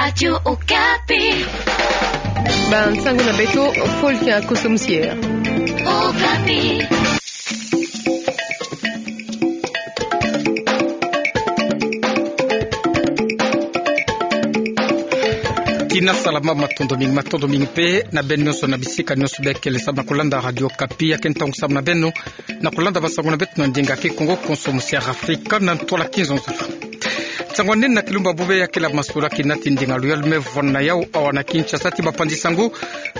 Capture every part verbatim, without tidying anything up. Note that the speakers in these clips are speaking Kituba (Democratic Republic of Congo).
Radio Okapi. Bansango na beto, Paul Kiakoso Musier. Okapi. Tina salama, matondo mingi, matondo mingi mpe na beno nyonso na bisika nyonso bie kele salu na kolanda Radio Okapi. Ya ke ntangu salu na beno na kolanda bansango na beto na ndinga Kikongo, konso musier Afrika na ntwala kizonzolo. Nsangu anene na kilumbu bobie ya kele masolo kinati ndinga luyalu me vwanda yau awa na Kinshasa ti bapanzi sango.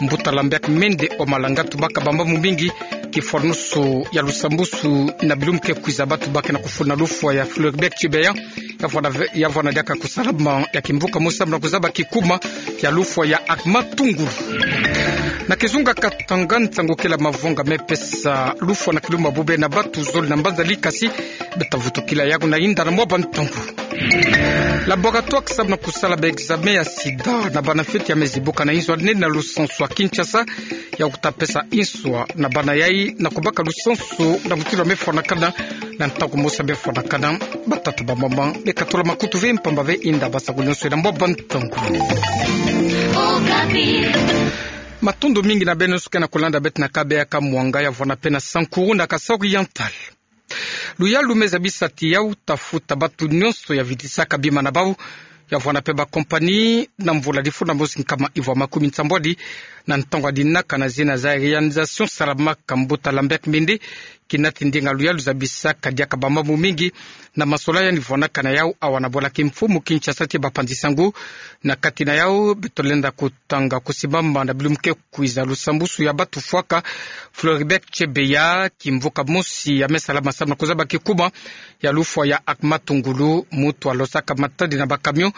Mbuta Lambert Mende Omalanga tubaka bambangu mingi, kifwanusu ya lusambusu na bilumbu ke kwiza, batu ba ke na kufuna lufwa ya Floribert Chebeya, ya vwanda ve-, ya vwanda diaka kusalama ya kimvuka mosi samu na kuzaba kikuma ya lufwa ya Armand Tungulu. Na kizunga Katanga, nsangu kele mavwanga me pesa lufwa na kilumbu bobie na batu zole na mbanza Likasi, beta vutukila yaku na yinda na mwa bantangu. Laboratoire samu na kusala ba examen ya sida na bana fioti ya me zibuka na inzo anene na lusansu ya Kinshasa, ya kuta pesa inswa na bana yai na kubaka lusansu na mutindu me fwanakana, na ntangu mosi me fwanakana. Batata, bamama, beka tula makutu ve mpamba ve yinda bansango nyonso na mwa bantangu. Matondo mingi na beno nyonso ke na kolanda beto na kabeya ka Mwanga, ya vwanda mpe na Sankuru na Kasaï Oriental. Luyalu me zabisa ti yau ta futa batu nyonso ya vitisaka bima na bau, ya vwanda mpe ba compagnie, na mvula difuna mosi nkama ivwa makumi nsambwadi, na ntangu adinaka na zina Zaïrianisation salamaka. Mbuta Lambert Mende, kinati ndinga luyalu zabisaka diaka bambangu mingi na masolo yandi vwandaka na yau awa na bwala kimfumu Kinshasa ti bapanzi sango. Na kati na yau beto lenda kutanga kusimama na bilumbu ke kwiza lusambusu ya batu fwaka Floribert Chebeya, kimvuka mosi ya me salama samu na kuzaba kikuma ya lufwa ya Armand Tungulu, mutu alosaka matadi na ba camion,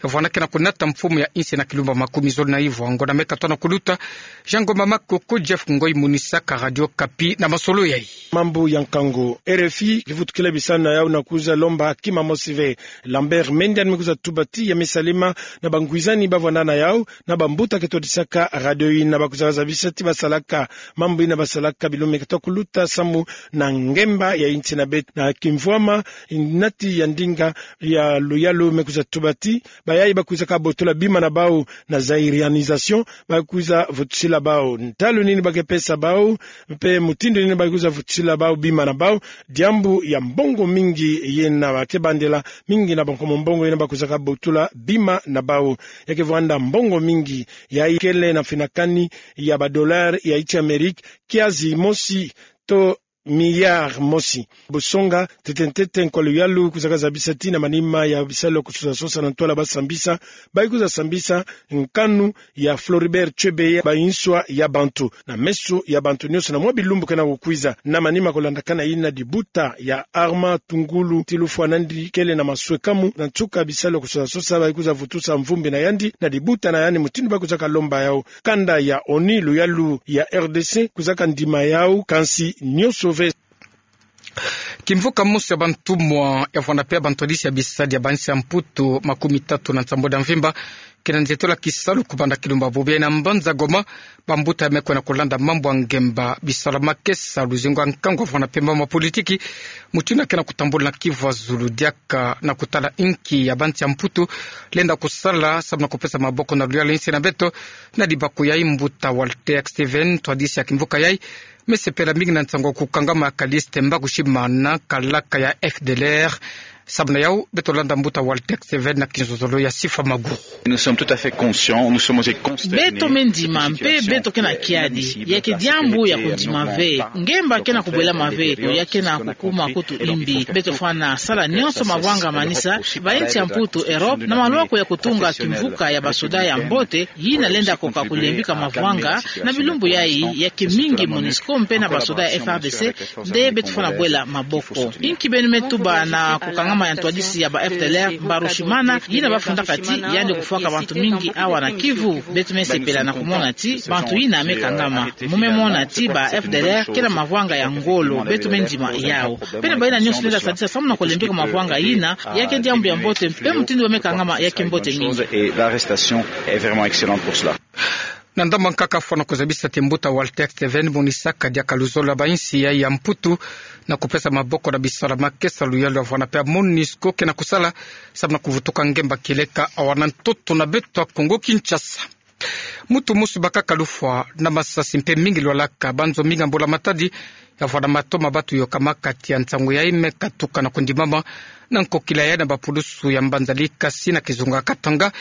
ya vwanda ke na kunata mfumu ya insi na kilumbu makumi zole na ivwa. Ngonda me katona kuluta, Jean Ngoma Makoko, Jeff Ngoi, monisaka Radio Okapi na masolo yai. Mambu ya nkangu. R F I kivutukila bisalu na yau na kwiza lomba kima mosi ve. Lambert Mende yandi me kwiza tuba ti ya me salama na bangwizani ba vwanda na yau, na bambuta ke twadisaka radio yina, ba kwiza zabisa ti basalaka mambu yina, basalaka bilumbu me kata kuluta samu na ngemba ya insi na beto. Na kimvwama nati ya ndinga ya luyalu me kwiza tuba ti bayai ba kwizaka botola bima na bau na Zaïrianisation, ba kwiza vutusila bau ntalu nini ba ke pesa bau, mpe mutindu nini ba kwiza vutusila bau bima na bau. Diambu ya mbongo mingi yina ba ke bandela, mingi na bankomo mbongo yina ba kwizaka botola bima na bau. Ya ke vwanda mbongo mingi, yai kele na finakani ya ba dollars ya insi Amerika, kiasi mosi to milliard mosi. Busonga, ntete ntete, nkwa luyalu kwizaka zabisa ti na manima ya bisalu ya kusosa sosa na ntwala ba sambisa, ba kwiza sambisa nkanu ya Floribert Chebeya ba inswa ya bantu, na meso ya bantu nyonso na mwa bilumbu ke na kukwiza. Na manima kulandakana yina, dibuta ya Armand Tungulu ti lufwa na yandi kele na maswekamu na nsuka bisalu ya kusosa sosa, ba kwiza vutusa mvumbi na yandi na dibuta na yandi, mutindu ba kwizaka lomba yau. Kanda ya ONU, luyalu ya R D C kwizaka ndima yau, kansi nyonso ve. Kimvuka mosi ya bantumwa ya vwanda mpe ya bantwadisi ya bisadi ya bansi ya Mputu makumi tatu na nsambwadi ya mvimba ke na nzietolo ya kisalu kubanda kilumbu bobie na mbanza Goma. Bambuta ya me kwenda kulanda mambu ya ngemba, bisalu ya makesa, luzingu ya nkangu ya vwanda mpe mambu ya politiki, mutindu ya ke na kutambula na kivu ya zulu, diaka na kutala inki ya bansi ya Mputu lenda kusala samu na kupesa maboko na luyalu ya insi na beto. Na dibaku yai, mbuta Walter Steven, ntwadisi ya kimvuka yai, me sepela mingi na nsangu ya kukangama ya Callixte Mbarushimana, kalaka ya F D L R. Samu na yau, beto landa mbuta Walter Steven na kizololo ya Sifa Maguru. Nous sommes tout à fait conscients, nous sommes aussi consternés. Beto me ndima mpe beto ke na kiadi, ya ke diambu ya kundima ve. Ngemba ke na kubwelama ve, ya ke na kukuma kutu imbi. Beto fwana sala nyonso mavwanga manisa, ba insi ya Mputu, Europe, na malwaku ya kutunga kimvuka ya basoda ya mbote, yina lenda koka kulembika mavwanga. Na bilumbu yai, ya ke mingi MONUSCO mpe na basoda ya F A R D C nde beto fwana bwela maboko. Inki beno me tuba na kukangama ya ntwadisi ya ba F D L R, Mbarushimana, yina ba fundaka ti yandi kufwaka bantu mingi awa na kivu? Beto me sepela na kumona ti bantu yina me kangama. Mu me mona ti ba F D L R ke na mavwanga ya ngolo, beto me ndima yau. Mpe na bayina nyonso lenda sadisa samu na kulembika mavwanga yina, ya ke diambu ya mbote, mpe mutindu ba me kangama ya ke mbote mingi. Et l'arrestation est vraiment excellente pour cela. Na ndambu nkaka fwana kuzabisa ti mbuta Walter Steven monisaka diaka luzolo ya bainsi ya, ya Mputu na kupesa maboko na bisalu ya makesa, luyalu ya vwanda pe ya MONUSCO ke na kusala samu na kuvutuka ngemba kieleka awa na ntoto na beto ya Kongo Kinshasa. Mutu mosi bakaka lufwa na masasi mpe mingi lwalaka, banzo mingi ya mbula matadi ya vwanda mato ma batu yoka makati ya nsangu yayi me katuka na kundimama na nkokila yayi na bapulusu ya mbanza Likasi na kizunga Katanga,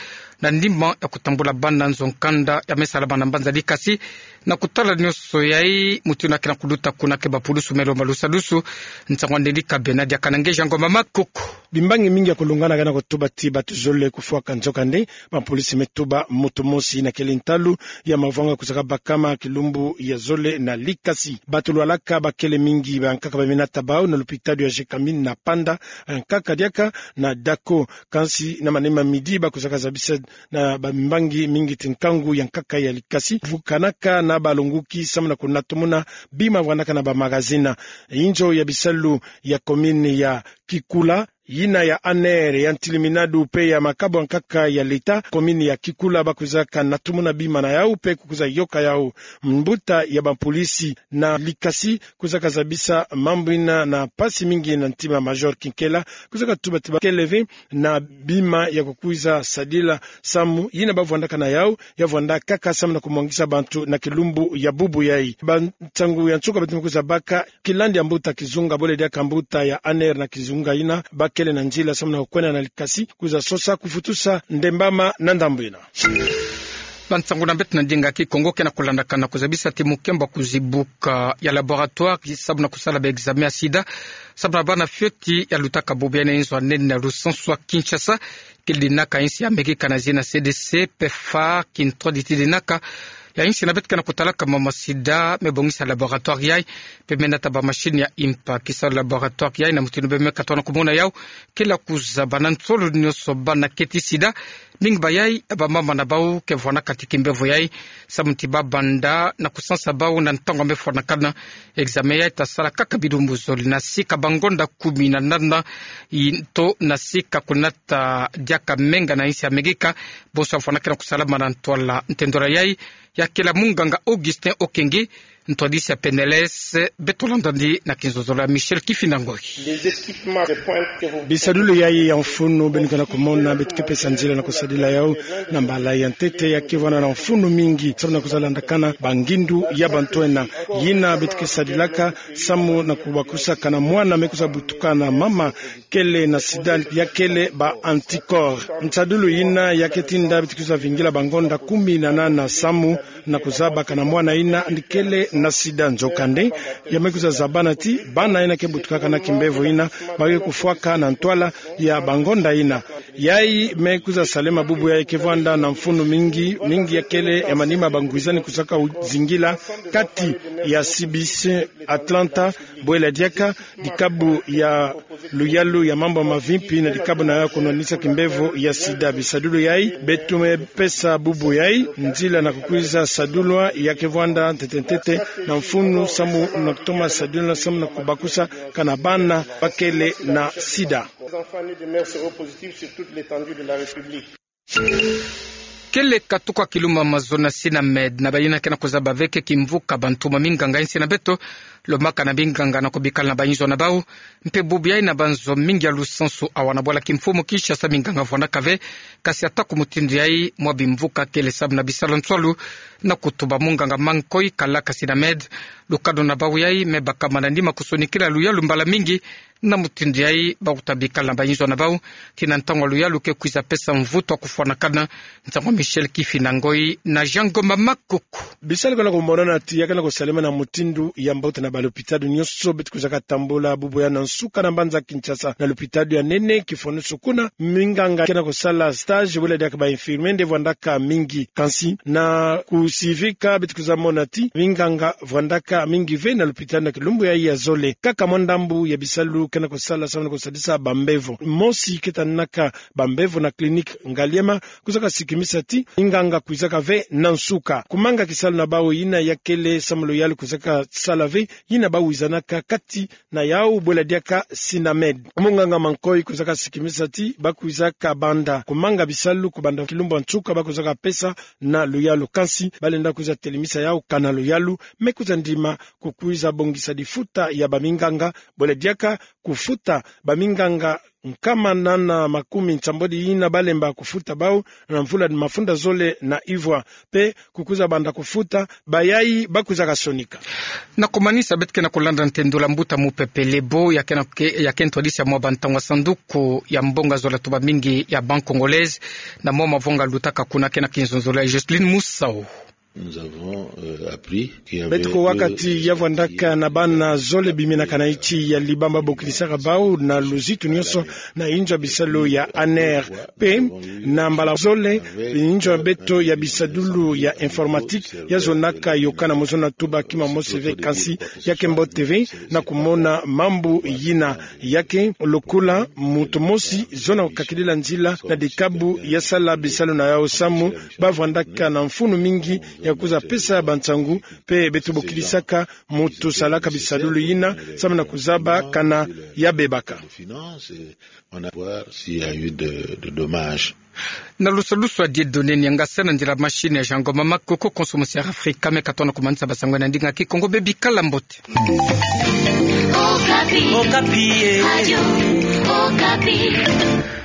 na ndimba ya kutambula bana nzo nkanda ya me salama na mbanza Likasi. Na kutala nionso yayi, mutu yina ke na kuluta kuna ke bapulusu me lomba lusadusu. Nsangu ya Nelly Kabena diaka na nge Jean Ngoma Makoko. Bimbangi mingi ya kulungana ke na kutuba ti batu zole kufwaka, nzokande bapolisi me tuba mutu mosi yina kele ntalu ya mavwanga kuzaka bakama kilumbu ya zole na Likasi. Batu lwalaka bakele mingi, bankaka ba me nata bau na lupitalu ya Gécamines na Panda, nkaka diaka na Dako. Kansi na manima midi bakuzaka zabisa na bambangi mingi ti nkangu ya nkaka ya Likasi vukanaka na balonguki samu na kunatumuna bima vwandaka na bamagazini. Inzo ya bisalu ya commune ya Kikula, yina ya ANR, ya ntiliminadu pe ya makabu ya nkaka ya leta, commune ya Kikula bakwizaka natumuna bima na yau pe kukwiza yoka yau. Mbuta ya bapolisi na Likasi kwizaka zabisa mambu yina na mpasi mingi na ntima. Major Kinkela kwizaka tuba ti bakele ve na bima ya kukwiza sadila samu yina bavwandaka na yau ya vwanda kaka samu na kumwangisa bantu na kilumbu ya bubu yayi. Bansangu ya nsuka beto me kwiza baka, kilandi ya mbuta kizunga, bole diaka mbuta ya ANR na kizunga yina bakele na nzila samu na kukwenda na Likasi kwiza sosa kufutusa ndembama na ndambu yina. Bansangu na beto na ndinga Kikongo ke na kulandakana kuzabisa ti mukembo ya kuzibuka ya laboratoire samu na kusala ba examen ya sida samu na bana fioti ya lutaka bubu yayi na inzo ya nene ya lusansu ya Kinshasa. Kele dinaka insi ya Amerika na zina CDC, PEPFAR, Kintwadi ti dinaka ya insi na beto ke na kutalaka mama sida me bongisa laboratoire yayi pe me nata ba machine ya impa. Kisalu laboratoire yayi na mutindu bê me katoka na kumona yau, kele ya kuzaba na nsolo nionso bana keti sida. Mingi bayayi bamama na bau ke vwandaka ti kimbevo yayi samu ti babanda na kusansa bau na ntangu ya me fwanakana. Examen yayi ta sala kaka bilumbu zole na sika bangonda kumi na nana, nto na sika kunata diaka menga na insi ya Amerika. Bonso ya fwanakana kusalama na ntwala ntendwala yayi ya kele ya munganga Augustin Okenge, ntwadisi ya PNLS. Beto landandi na kinzonzolo ya Michel Kifinda Ngoi. Bisadulu yayi ya mfunu beno ke na kumona, beto ke pesa nzila na kusadila yau na mbala ya ntete. Ya ke vwanda na mfunu mingi samu na kwiza landakana bangindu ya bantu ena. Yina beto ke sadilaka samu na kubakusaka na mwana me kwiza butuka na mama kele na sida, ya kele ba anticorps. Nsadulu yina ya ke tinda beto kwiza vingila bangonda kumi na nana samu na kuzabaka na mwana yina ndi kele na sida. Nzokande, ya me kwiza zabana ti bana yina ke butukaka na kimbevo yina ba ke kufwaka na ntwala ya bangonda yina. Yayi me kwiza salema bubu yayi ke vwanda na mfunu mingi, mingi ya kele ya manima bangwizani kwizaka zingila kati ya CBC Atlanta, bwela diaka dikabu ya luyalu ya mambu ya mavimpi na dikabu na yau ya kunwanisa kimbevo ya sida. Bisadulu yayi beto me pesa bubu yayi nzila na kukwiza sadulwa ya ke vwanda ntete ntete na mfunu samu na kutoma sadulwa samu na kubakusaka na bana ba kele na sida. Kele katuka kilumbu ya mazono ya Sinamed na bayina ke na kuzaba ve ke kimvuka bantu ma minganga ya insi na beto, lomaka na minganga na kubikala na bayinzo na bau. Mpe bubu yayi na banzo mingi ya lusansu awa na bwala kimfumu Kinshasa minganga vwandaka ve. Kasi atako mutindu yayi, mwa bimvuka kele samu na bisalu nswalu na kutuba. Munganga Mankoi Kalaka Sinamed, lukanu na bau yayi me bakama na nima kusonikila luyalu mbala mingi. Na mutindu yayi bakuta bikala na bayinzo na bau, tii na ntangu ya luyalu ke kwiza pesa mvutu ya kufwanakana. Nsangu ya Michel Kifinda Ngoi na Jean Ngoma Makuku. Bisalu ke na kumonana ti ya ke na kusalema na mutindu ya mbote na balopitalo nionso beto kwizaka tambula bubu yayi na nsuka na mbanza Kinshasa na lopitalo ya nene Kifonusu. Kuna minganga ke na kusala stage, bwela diaka ba infirmier nde vwandaka mingi. Kansi na kusivika beto kwiza mona ti minganga vwandaka mingi ve na lopitalo na kilumbu yayi ya zole. Kaka mwa ndambu ya bisalu ke na kusala samu na kusadisa bambevo. Mosi ke tanaka bambevo na clinique Ngaliema kwizaka sikimisa ti minganga kwizaka ve na nsuka. Kumanga kisalu na bau yina ya kele samu luyalu kwizaka sala ve, yina ba wizanaka kati na yau bwela diaka Sinamed. Munganga Mankoi kwizaka sikimisa ti ba kwizaka banda kumanga bisalu kubanda kilumbu ya nsuka ba kwizaka pesa na luyalu, kansi ba lenda kwiza telemisa yau kana luyalu me kwiza ndima kukwiza bongisa difuta ya baminganga, bwela diaka kufuta baminganga nkama nana makumi nsambwadi yina ba lemba kufuta bau na mvula mafunda zole na ivwa, pe kukwiza banda kufuta bayai ba kwizaka sonika. Na kumanisa, beto ke na kulanda ntendula mbuta mupepe Lebo, ya ke na ke-, ya ke ntwadisi ya mwa bantangu ya sanduku ya mbongo zola tubamingi ya Banque Congolaise, na mwa mavanga lutaka kuna, ke na kinzonzolo ya Jocelyne Musau. Nous avons, euh, appris qu'il y avait Beto kuwa ka ti ya vwandaka na bana zole biminakana nti ya Liban ba bokilisaka bau na luzitu nyonso na inzo ya bisalu ya ANR. Pe na mbala zole, inzo ya beto ya bisadulu ya informatique ya zonaka yokana mu zona tuba kima mosi ve, kansi ya ke mbote ve na kumona mambu yina. Ya ke lokola muntu mosi zona kakidila nzila na dikabu ya sala bisalu na yau samu ba vwandaka na mfunu mingi ya kwiza pesa bansangu, pe beto bokilisaka muntu salaka bisadulu yina samu na kuzaba kana ya bebaka. On a voir s'il y a eu de, de dommages. Na lusalusu ya Dieudonné Niangasa, na ndila machine ya Jean Ngoma Makoko, konso mosi ya Afrika, me ka tona kumanisa basangu na ndinga Kikongo, bebikala mbote. Okapi. Okapi, eh. Radio Okapi.